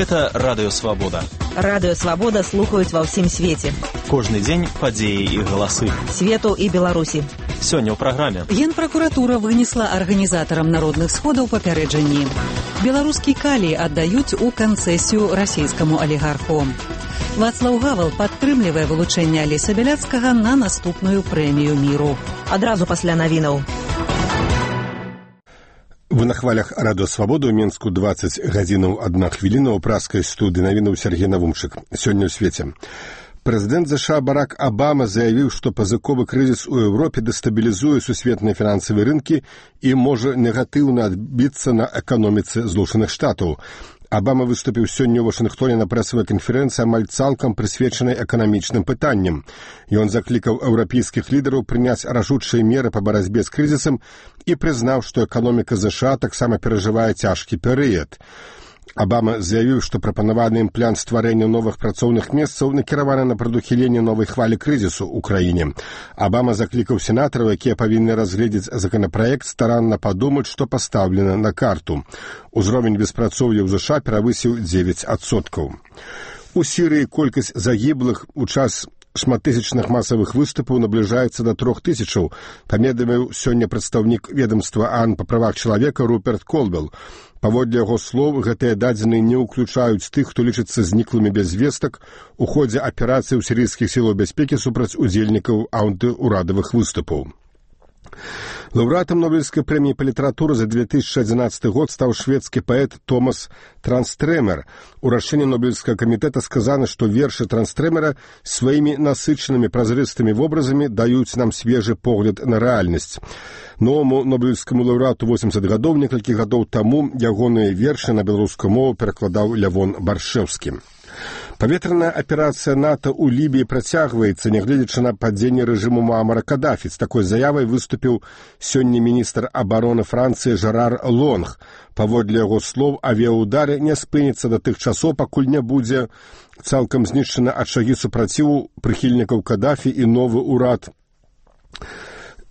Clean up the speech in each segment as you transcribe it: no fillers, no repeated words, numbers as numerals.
Гэта Радыё Свабода. Радыё Свабода слухаюць ва ўсім свеце. Кожны дзень падзеі і галасы. Свету і Беларусі. Сёння ў праграме. Генпракуратура вынесла арганізатарам народных сходаў папярэджанні. Беларускі калій аддаюць у канцэсію расійскаму алігарху. Вацлаў Гавал падтрымлівае вылучэнне Алеся Бяляцкага на наступную прэмію міру. Адразу пасля навінаў. Вы на хвалях Радыё Свабода ў Менску 20 гадзінаў 1 хвіліна ў праскай студыі навінаў Сергей Навумчык. Сёння ў свеце. Прэзідэнт США Барак Абама заявіў, што пазыковы крызіс у Еўропе дэстабілізуе сусветныя фінансавыя рынкі і можа негатыўна адбіцца на эканоміцы Злучаных Штатаў. Абама выступіў сёння ў Вашынгтоне на прэсавай канферэнцыі амаль цалкам прысвечанай эканамічным пытанням. Ён заклікаў еўрапейскіх лідараў прыняць рашучыя меры па барацьбе з крызісам і прызнаў, што эканоміка США таксама перажывае цяжкі перыяд. Абама заявіў, што прапанаваны ім план стварэння новых працоўных месцаў накіраваны на прадухіленне новай хвалі крызісу ў краіне. Абама заклікаў сенатараў, якія павінны разгледзець законапраект, старанна падумаць, што пастаўлена на карту. Узровень беспрацоўя ў США перавысіў 9%. У Сірыі колькасць загіблых у час шматтысячных масавых выступаў набліжаецца да 3000, паведаміў сёння прадстаўнік ведамства ААН па правах чалавека Руперт Колвелл. Паводле яго слоў, гэтыя дадзеныя не ўключаюць тых, хто лічыцца зніклымі без вестак у ходзе аперацыі ў сірыйскіх сілаў бяспекі супраць удзельнікаў антыурадавых выступаў. Лаўрэатам Нобелевскай прэміі па літаратуры за 2011 год стаў шведскі паэт Томас Транстрэмер. У рашэнні Нобелевскага камітэта сказана, што вершы Транстрэмера сваімі насычанымі празрыстымі вобразамі даюць нам свежы погляд на рэальнасць. Новаму нобелевскаму лаўрэату 80 гадоў, некалькі гадоў таму ягоныя вершы на беларускую мову перакладаў Лявон Баршэўскі. Паветраная аперацыя НАТО ў Лібіі працягваецца, нягледзячы на падзенне рэжыму Муамара Кадафі. З такой заявай выступіў сёння міністр абароны Францыі Жерар Лонг. Паводле яго слоў, авіяўдары не спыняцца да тых часоў, пакуль не будзе цалкам знішчана ачагі супраціву прыхільнікаў Кадафі і новы ўрад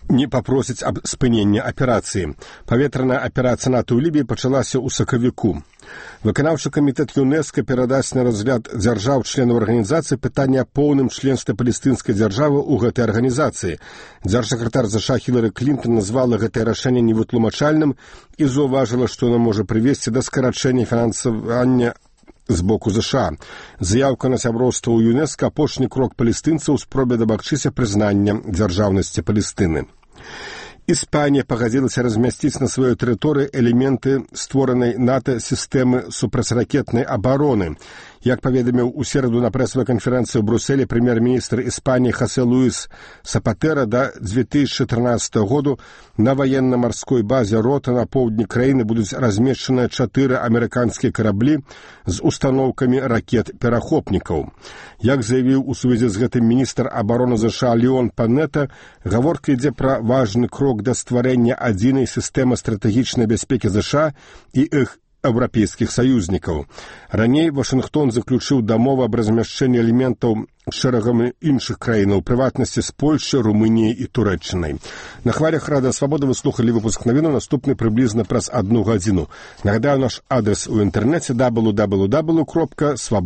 не папросіць аб спынення аперацыі. Паветраная аперацыя НАТО ў Лібіі пачалася ў сакавіку. Выканаўчы камітэт ЮНЕСКО перадасць на разгляд дзяржаў-членаў арганізацыі пытанне аб поўным членстве палестынскай дзяржавы ў гэтай арганізацыі. Дзяржсакратар США Хілары Клінтон назвала гэтае рашэнне невытлумачальным і заўважыла, што яно можа прывесці да скарачэння фінансавання з боку США. Заяўка на сяброўства ў ЮНЕСКО – апошні крок палестынцаў у спробе дамагчыся прызнання дзяржаўнасці Палестыны. Іспанія пагадзілася размясціць на сваёй тэрыторыі элементы створанай НАТО сістэмы супрацьракетнай абароны. Як паведаміў у сераду на прэсавай канферэнцыі ў Брусэлі прэм'ер-міністр Іспаніі Хосе Луіс Сапатэра, да 2013 году на ваенна-марской базе Рота на поўдні краіны будуць размешчаныя 4 амерыканскія караблі з устаноўкамі ракет-перахопнікаў. Як заявіў у сувязі з гэтым міністр абароны США Леон Панета, гаворка ідзе пра важны крок да стварэння адзінай сістэмы стратэгічнай бяспекі США і іх еўрапейскіх саюзнікаў. Раней Вашынгтон заключыў дамову аб размяшчэнні элементаў шэрагам іншых краінаў, у прыватнасці з Польшчай, Румыніяй і Турэччынай. На хвалях Радыё Свабода вы слухалі выпуск навінаў, наступны прыблізна праз 1 гадзіну. Нагадаю, наш адрес у інтэрнэце www.swabod.org.